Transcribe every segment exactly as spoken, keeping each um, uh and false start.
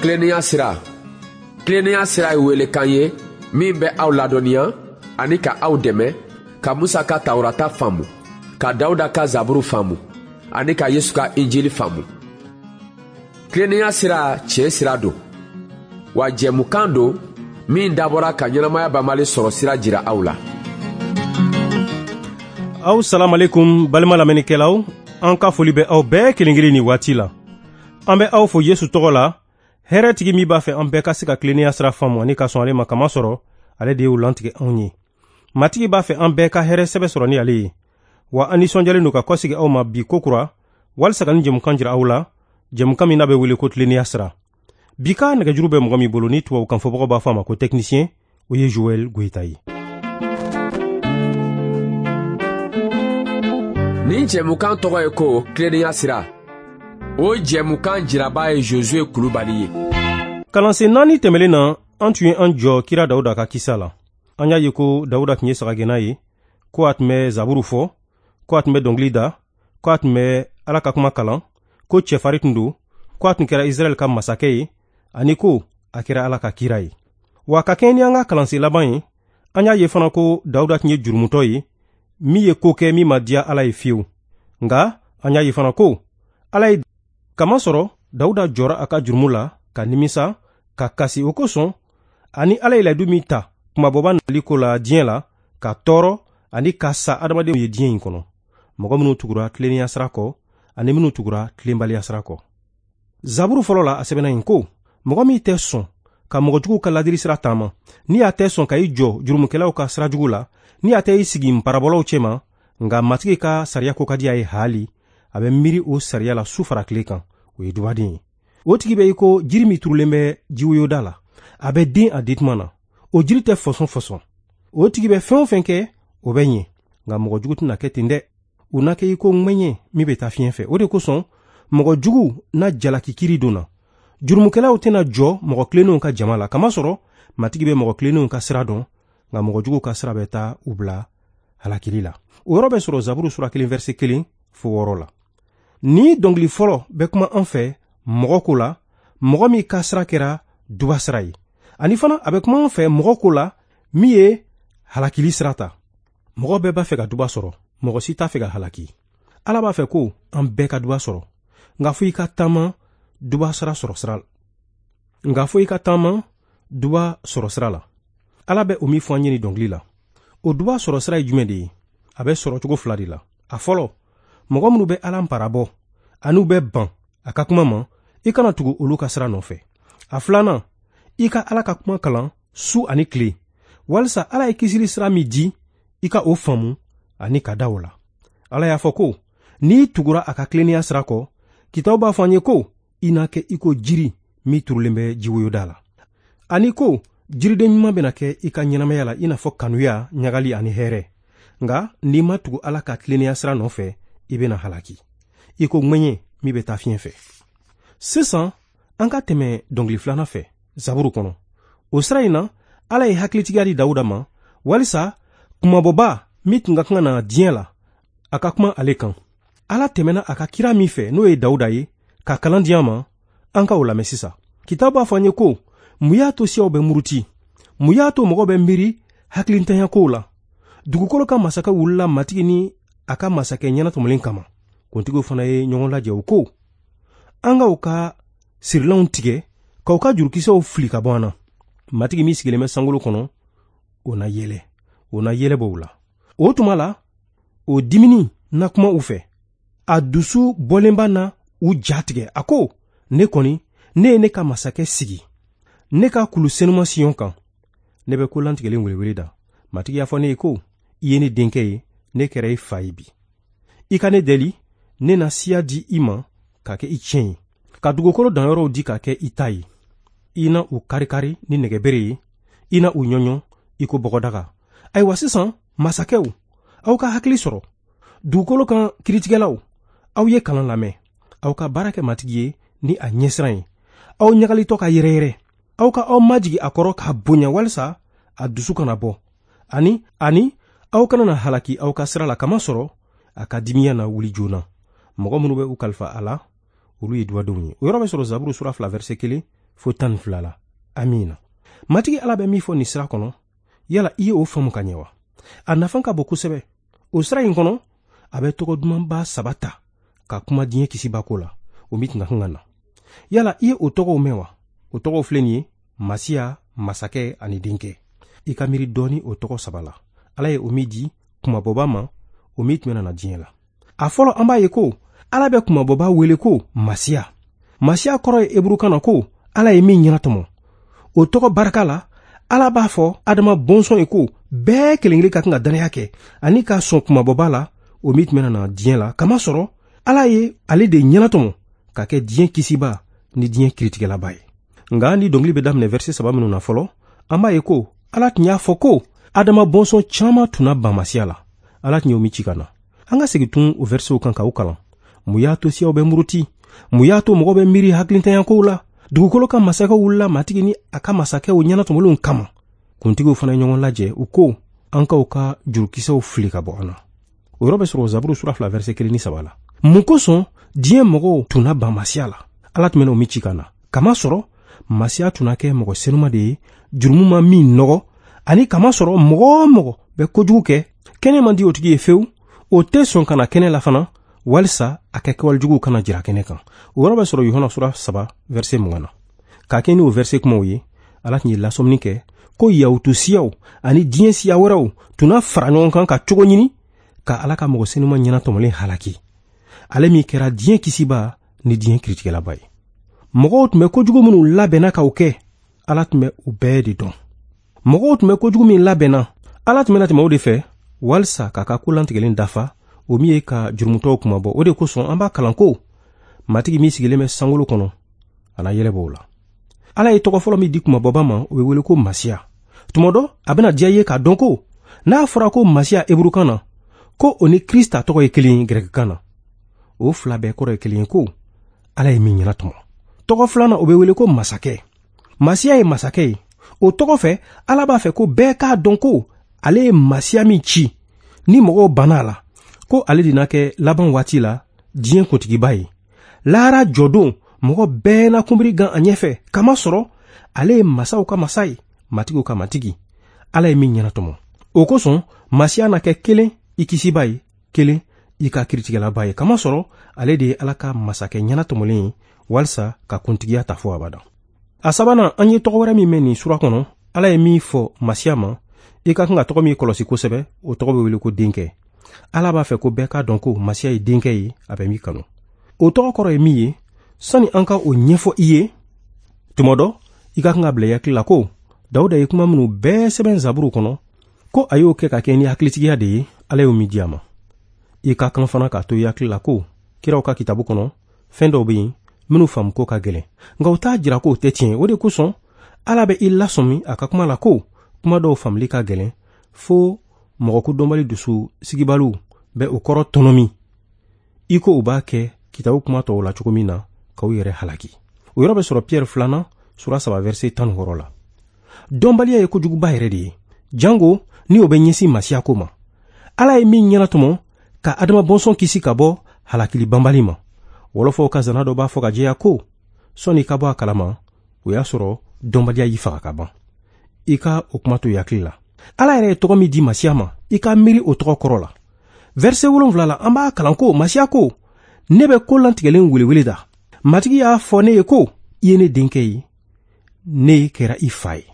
Tilennenya sira. Tilennenya sira ye welekan ye min bɛ aw ladɔnniya ani ka aw dɛmɛ ka Musa ka Tawurata faamu, ka Dawuda ka Zaburu faamu ani ka Yesu ka Injili faamu. Tilennenya sira tiɲɛ sira don, wa jɛmukan don min dabɔra ka ɲɛnamaya banbali sɔrɔ sira jira aw la. Aw salamalekum balima lamɛnnikɛlaw, an ka foli bɛ aw bɛɛ kelen kelen ni waati la. An bɛ aw fo Yesu tɔgɔ la, hɛrɛtigi min b'a fɛ an bɛɛ ka se ka tilennenya sira faamu ani ka sɔn ale ma kamasɔrɔ ale de y'o lantigɛ anw ye. Matigi b'a fɛ an bɛɛ ka hɛrɛ sɛbɛ sɔrɔ ni ale ye. Wa an nisɔndiyalen don ka kɔsegi aw ma bi kokura walisa ka nin jɛmukan jira aw la, jɛmukan min n'a bɛ wele ko tilennenya sira. Bi ka nɛgɛjuru bɛ mɔgɔ min bolo ni tubabukan fɔbagaw b'a fɔ a ma ko technicien, o ye Joël Goyita ye. Nin jɛmukan tɔgɔ ye ko tilennenya sira. O jɛmukan jiraba ye Josué Kulubali ye. Kalansen naani tɛmɛlen na, an tun ye an jɔ kira Dawuda ka kisa la. An y'a ye ko Dawuda tun ye sagagɛnna ye, ko a tun bɛ zaburu fɔ, ko a tun bɛ dɔnkili da, ko a tun bɛ Ala ka kuma kalan, ko cɛfarin tun don, ko a tun kɛra Israɛl ka masakɛ ye, ani ko a kɛra Ala ka kira ye. Wa ka kɛɲɛ ni an ka kalansen laban ye, an y'a ye fana ko Dawuda tun ye jurumutɔ ye, min ye ko kɛ min ma diya Ala ye fiyewu. Nka an y'a ye fana ko Ala ye kamasɔrɔ Dawuda jɔra a ka jurumu la ka nimisa ka kasi o kosɔn, ani Ala ye layidu min ta kumabɔba nali ko la diɲɛ la, ka tɔɔrɔ ani ka sa adamadenw ye diɲɛ in kɔnɔ, mɔgɔ minnu tugura tilennenya sira kɔ ani minnu tugura tilenbaliya sira kɔ. Zaburu fɔlɔ la a sɛbɛnna yen ko mɔgɔ min tɛ sɔn ka mɔgɔjuguw ka ladili sira taama, ni a tɛ sɔn ka i jɔ jurumukɛlaw ka sira jugu la, ni a tɛ i sigi nparabɔlaw cɛma, nka Matigi ka sariya ko ka di a ye haali, a bɛ miiri o sariya la su fara tile kan, o ye dubaden ye. O tigi bɛ i ko jiri min turulen bɛ jiwoyoda la, a bɛ den a dituma na, o jiri tɛ fɔsɔn fɔsɔn. O tigi bɛ fɛn o fɛn kɛ, o bɛ ɲɛ, nka mɔgɔ jugu tɛna kɛ ten dɛ. U na kɛ i ko ŋɛɲɛ min bɛ taa fiɲɛ fɛ. O de kosɔn mɔgɔ jugu na jalaki kiri don na. Jurumukɛlaw tɛna jɔ mɔgɔ tilennenw ka jama la, kamasɔrɔ Matigi bɛ mɔgɔ tilennenw ka sira dɔn, nka mɔgɔ jugu ka sira bɛ taa u bila halakili la. O yɔrɔ bɛ sɔrɔ Zaburu sura kelen verset kelen fo wɔɔrɔ la. Ni dɔnkili fɔlɔ bɛ kuma an fɛ mɔgɔ ko la, mɔgɔ min ka sira kɛra duba sira ye, ani fana a bɛ kuma an fɛ mɔgɔ ko la min ye halakili sira ta. Mɔgɔ bɛɛ b'a fɛ ka duba sɔrɔ, mɔgɔ si t'a fɛ ka halaki. Ala b'a fɛ ko an bɛɛ ka duba sɔrɔ, nka fo i ka taama duba sira sɔrɔ sira la. Nka fo i ka taama duba sɔrɔ sira la. Ala bɛ o min fɔ an ye nin dɔnkili la. O duba sɔrɔ sira ye jumɛn de ye? A bɛ sɔrɔ cogo fila de la. A fɔlɔ, mɔgɔ minnu bɛ Ala parabɔ ani u bɛ ban a ka kuma ma, i kana tugu olu ka sira nɔfɛ. A filanan, i ka Ala ka kuma kalan su ani tile, walisa Ala ye kisili sira min di, i ka o faamu ani ka da o la. Ala y'a fɔ ko n'i tugura a ka tilennenya sira kɔ, kitabu b'a fɔ an ye ko i na kɛ i ko jiri min turulen bɛ jiwoyoda la, ani ko jiriden ɲuman bɛna kɛ i ka ɲɛnamaya la, i n'a fɔ kanuya, ɲagali ani hɛrɛ. Nka n'i ma tugu Ala ka tilennenya sira nɔfɛ, i bɛna halaki i ko ŋɛɲɛ min bɛ taa fiɲɛ fɛ. Sisan an ka tɛmɛ dɔnkili filanan fɛ Zaburu kɔnɔ. O sira in na, Ala ye hakilitigiya di Dawuda ma walisa kumabɔba min tun ka kan ka na diɲɛ la, a ka kuma ale kan. Ala tɛmɛna a ka kira min fɛ, n'o ye Dawuda ye, ka kalan di an ma, an ka o lamɛn sisan. Kitabu b'a fɔ an ye ko mun y'a to siyaw bɛ muruti, mun y'a to mɔgɔ bɛ miiri hakilintanya kow la? Dugukolo ka masakɛ wulila Matigi ni a ka masakɛ ɲɛnatɔmɔlen kama. Kuntigiw fana ye ɲɔgɔn lajɛ, u ko an ka u ka sirilanw tigɛ k'u ka jurukisɛw fili ka bɔ an na. Matigi min sigilen bɛ sankolo kɔnɔ, o na yɛlɛ, o na yɛlɛ bɔ u la. O tuma la, o dimini na kuma u fɛ, a dusu bɔlenba na u ja tigɛ. A ko ne kɔni, ne ye ne ka masakɛ sigi ne ka kulu senuma Siyon kan, ne bɛ ko lantigɛlen welewele da. Matigi y'a fɔ ne ye ko i ye ne denkɛ ye, ne kɛra i fa ye bi. I ka ne deli, ne na siya di i ma k'a kɛ i tiɲɛ ye, ka dugukolo danyɔrɔw di k'a kɛ i ta ye. I na u karikari ni nɛgɛbere ye, i na u ɲɔɲɔ i ko bɔgɔdaga. Ayiwa sisan, masakɛw, aw ka hakili sɔrɔ. Dugukolo kan kiritigɛlaw, aw ye kalan lamɛn. Aw ka baara kɛ Matigi ye ni a ɲɛsiran ye. Aw ɲagalitɔ ka yɛrɛyɛrɛ. Aw ka aw majigi a kɔrɔ k'a bonya walisa a dusu kana bɔ. Ani ani aw kana na halaki aw ka sira la, kamasɔrɔ a ka dimiya na wuli joona. Mɔgɔ minnu bɛ u kalifa a la, olu ye dubadenw ye. O yɔrɔ bɛ sɔrɔ Zaburu sura fila verset kelen fo tan ni fila la. Amiina. Matigi Ala bɛ min fɔ nin sira kɔnɔ, yala i ye o faamu ka ɲɛ wa? A nafa ka bon kosɛbɛ. O sira in kɔnɔ, a bɛ tɔgɔ dumanba saba ta ka kuma diɲɛ kisiba ko la, o min tun ka kan ka na. Yala i ye o tɔgɔw mɛn wa? O tɔgɔw filɛ nin ye: Masiya, Masakɛ ani Denkɛ. I ka miiri dɔɔni o tɔgɔ saba la. Ala ye o min di kumabɔba ma, o min tun bɛna na diɲɛ la. A fɔlɔ, an b'a ye ko Ala bɛ kumabɔba wele ko Masiya. Masiya kɔrɔ ye eburukan na ko Ala ye min ɲɛnatɔmɔ. O tɔgɔ barika la, Ala b'a fɔ Adama bɔnsɔn ye ko bɛɛ kelen-kelen ka kan ka dannaya kɛ ani ka sɔn kumabɔba la, o min tun bɛna na diɲɛ la, kamasɔrɔ Ala ye ale de ɲɛnatɔmɔ ka kɛ diɲɛ kisiba ni diɲɛ kiritigɛlaba ye. Nka ni dɔnkili bɛ daminɛ verset saba minnu na fɔlɔ, an b'a ye ko Ala tun y'a fɔ ko Adama bɔnsɔn caman tun na ban Masiya la. Ala tun y'o min ci ka na. An ka segin tun o versetw kan k'o kalan. Mun y'a to siyaw bɛ muruti? Mun y'a to mɔgɔ bɛ miiri hakilintanya kow la? Dugukolo ka masakɛw wulila Matigi ni a ka masakɛw ɲɛnatɔmɔlenw kama. Kuntigiw fana ye ɲɔgɔn lajɛ, u ko an k'aw ka jurukisɛw fili ka bɔ an na. O yɔrɔ bɛ sɔrɔ Zaburu sura fila verset kelen ni saba la. Mun kosɔn diɲɛ mɔgɔw tun na ban Masiya la? Ala tun bɛna o min ci ka na. Kamasɔrɔ Masiya tun na kɛ mɔgɔ senuma de ye, jurumu ma min nɔgɔ, ani kamasɔrɔ mɔgɔ o mɔgɔ bɛ kojugu kɛ, kɛnɛ man di o tigi ye fewu, o tɛ sɔn ka na kɛnɛ la fana, walisa a ka kɛwalejuguw kana jira kɛnɛ kan. O yɔrɔ bɛ sɔrɔ Yohana sura saba verset mugan na. K'a kɛ ni o verset kumaw ye, Ala tun ye lasɔmini kɛ ko Yahutu siyaw ani diɲɛ siya wɛrɛw tun na fara ɲɔgɔn kan ka cogo ɲini ka Ala ka mɔgɔ senuma ɲɛnatɔmɔlen halaki, ale min kɛra diɲɛ kisiba ni diɲɛ kiritigɛlaba ye. Mɔgɔw tun bɛ kojugu minnu labɛnna k'o kɛ, Ala tun bɛ u bɛɛ de dɔn. Mɔgɔw tun bɛ kojugu min labɛnna, Ala tun bɛna tɛmɛ o de fɛ walisa k'a ka ko lantigɛlen dafa, o min ye ka jurumutɔw kumabɔ. O de kosɔn an b'a kalan ko Matigi min sigilen bɛ sankolo kɔnɔ, a na yɛlɛ b'o la. Ala ye tɔgɔ fɔlɔ min di kumabɔba ma, o bɛ wele ko Masiya. Tuma dɔ, a bɛna diya i ye k'a dɔn ko n'a fɔra ko Masiya eburukan na, ko o ni Krista tɔgɔ ye kelen ye gɛrɛkikan na. O fila bɛɛ kɔrɔ ye kelen ye ko Ala ye min ɲɛnatɔmɔ. Tɔgɔ filanan, o bɛ wele ko Masakɛ. Masiya ye masakɛ ye. O tɔgɔ fɛ, Ala b'a fɛ ko bɛɛ k'a dɔn ko ale ye Masiya min ci, ni mɔgɔw banna a la, ko ale de na kɛ laban waati la diɲɛ kuntigiba ye. Lahara jɔdon, mɔgɔ bɛɛ na kunbiri gan a ɲɛfɛ, kamasɔrɔ ale ye masaw ka masa ye, matigiw ka matigi, Ala ye min ɲɛnatɔmɔ. O kosɔn Masiya na kɛ kelen i kisiba ye, kelen i ka kiritigɛlaba ye, kamasɔrɔ ale de ye Ala ka masakɛ ɲɛnatɔmɔlen ye, walisa ka kuntigiya ta fo abada. A sabanan, an ye tɔgɔ wɛrɛ min mɛn nin sura kɔnɔ, Ala ye min fɔ Masiya ma, i ka kan ka tɔgɔ min kɔlɔsi kosɛbɛ, o tɔgɔ bɛ wele ko Denkɛ. Ala b'a fɛ ko bɛɛ k'a dɔn ko Masiya ye denkɛ ye, a bɛ min kanu. O tɔgɔ kɔrɔ ye min ye, sani an ka o ɲɛfɔ i ye, tuma dɔ, i ka kan ka bila i hakili la ko Dawuda ye kuma minnu bɛɛ sɛbɛn Zaburu kɔnɔ, ko a y'o kɛ ka kɛ ni hakilitigiya de ye, Ala y'o min di a ma. I ka kan fana k'a to i hakili la ko kiraw ka kitabu kɔnɔ, fɛn dɔw bɛ yen minnu faamu ko ka gɛlɛn, nka u t'a jira k'o tɛ tiɲɛ. O de kosɔn Ala bɛ i lasɔmi a ka kuma la ko kuma dɔw faamuli ka gɛlɛn, fo mɔgɔ ko dɔnbali dusu sigibaliw bɛ o kɔrɔ tɔnɔmi, i ko u b'a kɛ kitabu kuma tɔw la cogo min na, k'aw yɛrɛ halaki. O yɔrɔ bɛ sɔrɔ Piyɛri filanan sura saba verset tan ni wɔɔrɔ la. Dɔnbaliya ye kojuguba yɛrɛ de ye, jango ni o bɛ ɲɛsin Masiya ko ma. Ala ye min ɲɛnatɔmɔ ka Adama bɔnsɔn kisi ka bɔ halakili banbali ma. Wɔlɔfɔw ka zana dɔ b'a fɔ ka jɛya ko sɔnni i ka bɔ a kalama, o y'a sɔrɔ dɔnbaliya y'i faga ka ban. I ka o kuma to i hakili la. Ala yɛrɛ ye tɔgɔ min di Masiya ma, i ka miiri o tɔgɔ kɔrɔ la. Verset wolonwula la, an b'a kalan ko Masiya ko, ne bɛ ko lantigɛlen welewele da. Matigi y'a fɔ ne ye ko, i ye ne denkɛ ye, ne kɛra i fa ye.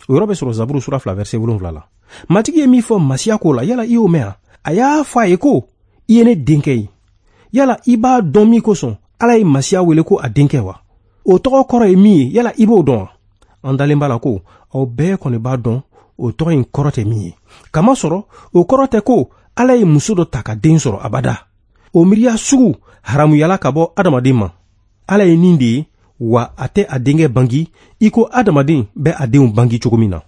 O yɔrɔ bɛ sɔrɔ Zaburu sura fila verset wolonwula la. Matigi ye min fɔ Masiya ko la, yala i y'o mɛn wa? A y'a fɔ a ye ko, i ye ne denkɛ ye. Yala i b'a dɔn min kosɔn Ala ye Masiya wele ko a denkɛ wa? O tɔgɔ kɔrɔ ye min ye, yala i b'o dɔn wa? An dalen b'a la ko aw bɛɛ kɔni b'a dɔn o tɔgɔ in kɔrɔ tɛ min ye. Kamasɔrɔ o kɔrɔ tɛ ko Ala ye muso dɔ ta ka den sɔrɔ abada. O miiriya sugu haramuyala ka bɔ adamaden ma. Ala ye nin de ye, wa a tɛ a denkɛ bangi i ko adamaden bɛ a denw bangi cogo min na.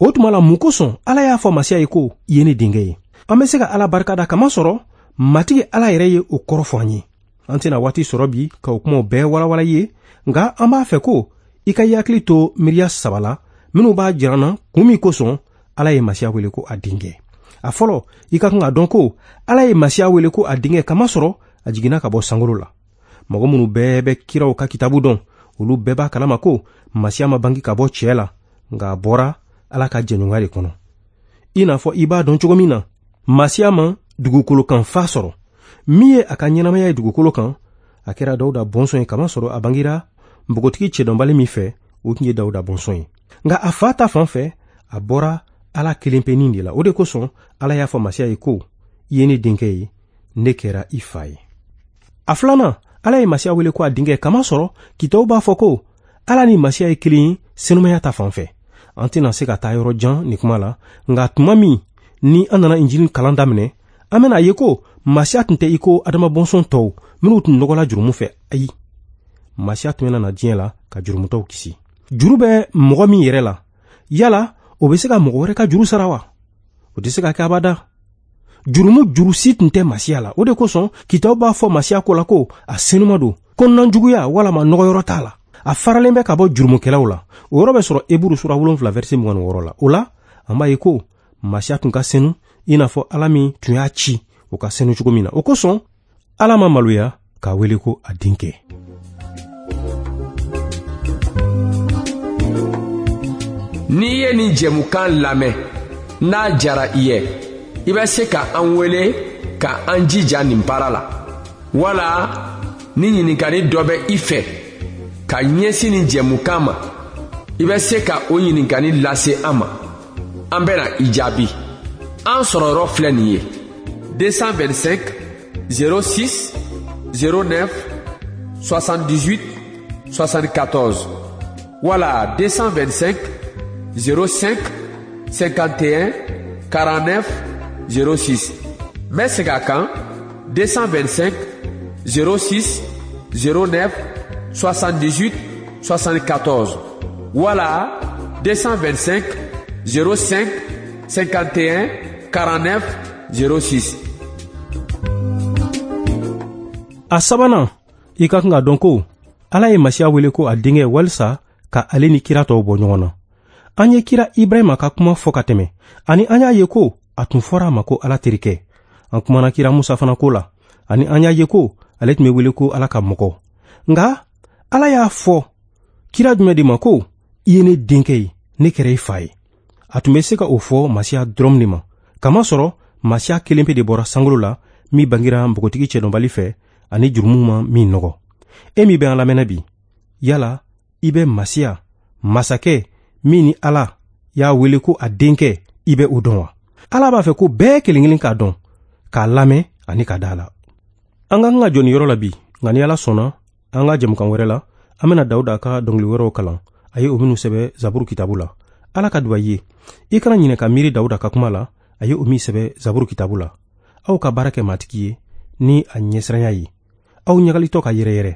O tuma la, mun kosɔn Ala y'a fɔ Masiya ye ko i ye ne denkɛ ye? An bɛ se ka Ala barika da kamasɔrɔ Matigi Ala yɛrɛ ye o kɔrɔ fɔ an ye. An tɛna waati sɔrɔ bi ka o kumaw bɛɛ walawala i ye, nka an b'a fɛ ko i ka i hakili to miiriya saba la minnu b'a jira an na kun min kosɔn Ala ye Masiya wele ko a denkɛ. A fɔlɔ, i ka kan k'a dɔn ko Ala ye Masiya wele ko a denkɛ kamasɔrɔ a jiginna ka bɔ sankolo la. Mɔgɔ minnu bɛɛ bɛ kiraw ka kitabu dɔn, olu bɛɛ b'a kalama ko Masiya ma bange ka bɔ cɛ la, nka a bɔra Ala ka jɛɲɔgɔnya de kɔnɔ. I n'a fɔ i b'a dɔn cogo min na, Masiya ma dugukolo kan fa sɔrɔ. Min ye a ka ɲɛnamaya ye dugukolo kan, a kɛra Dawuda bɔnsɔn ye, kamasɔrɔ a bangera npogotigi cɛdɔnbali min fɛ, o tun ye Dawuda bɔnsɔn ye. Nka a fa ta fan fɛ, a bɔra Ala kelenpenin de la. O de kosɔn Ala y'a fɔ Masiya ye ko, i ye ne denkɛ ye, ne kɛra i fa ye. A filanan, Ala ye Masiya wele ko a denkɛ, kamasɔrɔ kitabu b'a fɔ ko Ala ni Masiya ye kelen ye senumaya ta fan fɛ. An tɛna se ka taa yɔrɔ jan nin kuma la, nka tuma min ni an nana Injili kalan daminɛ, an bɛna ye ko Masiya tun tɛ i ko Adama bɔnsɔn tɔw minnu tun nɔgɔla jurumu fɛ. Ayi, Masiya tun bɛna na diɲɛ la ka jurumutɔw kisi. Juru bɛ mɔgɔ min yɛrɛ la, yala o bɛ se ka mɔgɔ wɛrɛ ka juru sara wa? O tɛ se ka kɛ abada. Jurumu juru si tun tɛ Masiya la. O de kosɔn kitabu b'a fɔ Masiya ko la ko a senuma don, kɔnɔnajuguya walama nɔgɔyɔrɔ t'a la. A faralen bɛ ka bɔ jurumukɛlaw la. O yɔrɔ bɛ sɔrɔ Eburu sura wolonfila verset mugan ni wɔɔrɔ la. O la, an b'a ye ko Masiya tun ka senu i n'a fɔ Ala min tun y'a ci o ka senu cogo min na. O kosɔn Ala ma maloya k'a wele ko a denkɛ. N'i ye nin jɛmukan lamɛn, n'a jara i ye, i bɛ se ka an wele ka an jija nin baara la. Wala ni ɲininkali dɔ bɛ i fɛ ka ɲɛsin nin jɛmukan ma, i bɛ se ka o ɲininkali lase an ma. An bɛna i jaabi. An sɔrɔyɔrɔ filɛ nin ye: deux cent vingt-cinq zéro six zéro neuf soixante-dix-huit soixante-quatorze wala deux cent vingt-cinq zéro cinq cinquante et un quarante-neuf zéro six. N bɛ segin a kan: deux cent vingt-cinq zéro six zéro neuf soixante-dix-huit soixante-quatorze wala deux cent vingt-cinq zéro cinq cinquante et un quarante-neuf zéro six. A sabanan, i ka kan ka dɔn ko Ala ye Masiya wele ko a denkɛ walisa ka ale ni kira tɔw bɔ ɲɔgɔn na. An ye kira Ibrahima ka kuma fɔ ka tɛmɛ, ani an y'a ye ko a tun fɔra a ma ko Ala terikɛ. An kumana kira Musa fana ko la, ani an y'a ye ko ale tun bɛ wele ko Ala ka mɔgɔ. Nka Ala y'a fɔ kira jumɛn de ma ko i ye ne denkɛ ye, ne kɛra i fa ye? A tun bɛ se ka o fɔ Masiya dɔrɔn de ma, kamasɔrɔ Masiya kelen pe de bɔra sankolo la, min bangera npogotigi cɛdɔnbali fɛ ani jurumu ma min nɔgɔ. E min bɛ an lamɛnna bi, yala i bɛ Masiya, masakɛ min ni Ala y'a wele ko a denkɛ, i bɛ o dɔn wa? Ala b'a fɛ ko bɛɛ kelen kelen k'a dɔn, k'a lamɛn ani ka da a la. An ka kan ka jɔ nin yɔrɔ la bi, nka ni Ala sɔnna, an ka jɛmukan wɛrɛ la, an bɛna Dawuda ka dɔnkili wɛrɛw kalan, a ye o minnu sɛbɛ Zaburu kitabu la. Ala ka duba i ye. I kana ɲinɛ ka miiri Dawuda ka kuma la, a ye o min sɛbɛ Zaburu kitabu la. Aw ka baara kɛ Matigi ye ni a ɲɛsiranya ye. Aw ɲagalitɔ ka yɛrɛyɛrɛ.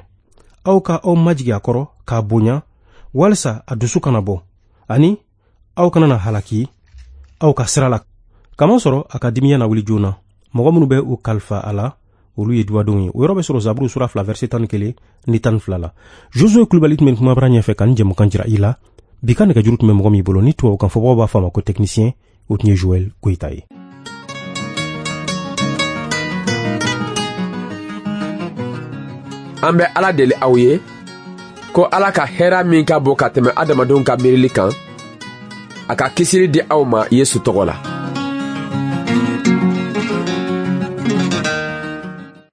Aw ka aw majigin a kɔrɔ k'a bonya, walisa a dusu kana bɔ, ani aw kana na halaki aw ka sira la. Kamasɔrɔ a ka dimiya na wuli joona. Mɔgɔ minnu bɛ u kalifa a la, olu ye duwadenw ye. O yɔrɔ bɛ sɔrɔ Zaburu sura fila verset tan ni kelen ni tan ni fila la. Josué Kulubali tun bɛ kumabara ɲɛfɛ ka nin jɛmukan jira i la. Bi ka nɛgɛjuru tun bɛ mɔgɔ min bolo ni tubabukan fɔbagaw b'a fɔ a ma ko technicien, o tun ye Joël Goyita ye. An bɛ Ala deli aw ye ko Ala ka hɛrɛ min ka bon ka tɛmɛ adamadenw ka miirili kan, a ka kisili di aw ma Yesu tɔgɔ la.